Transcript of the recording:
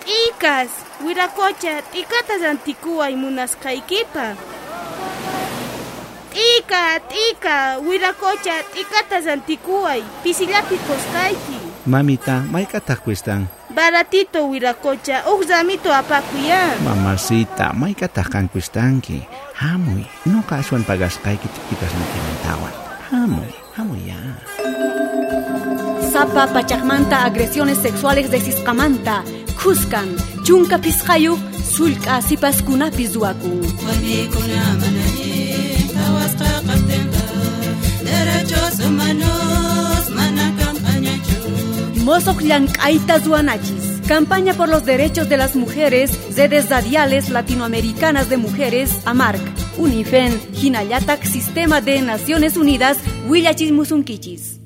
T'ikas, wirakocha, t'ikata rantikuway munasqaykipaq. T'ika, t'ika, wirakocha, t'ikata rantikuway, pisillapi qusqayki. Mamita, mayk'ataq cuestan? Baratito wirakocha, uj ramito apakuy ya. Mamacita, mayk'ataq qan cuestanki? Hamuy, noqa aswan pagasqayki t'ikasniykimantawan. Hamuy, hamuy ya. Sapa pachaqmanta agresiones sexuales desisqamanta, khuskan, chunka pisqayuq, sullk'a sipaskunapi ruwakun. Warmikuna mana allin qhawasqa kaqtinqa derechos humanos mana kanqañachu. Mosoq llank'ayta ruwanachis. Campaña por los Derechos de las Mujeres, Redes Radiales Latinoamericanas de Mujeres, AMARC, UNIFEN, Hinayatac Sistema de Naciones Unidas, Willachismusunkichis.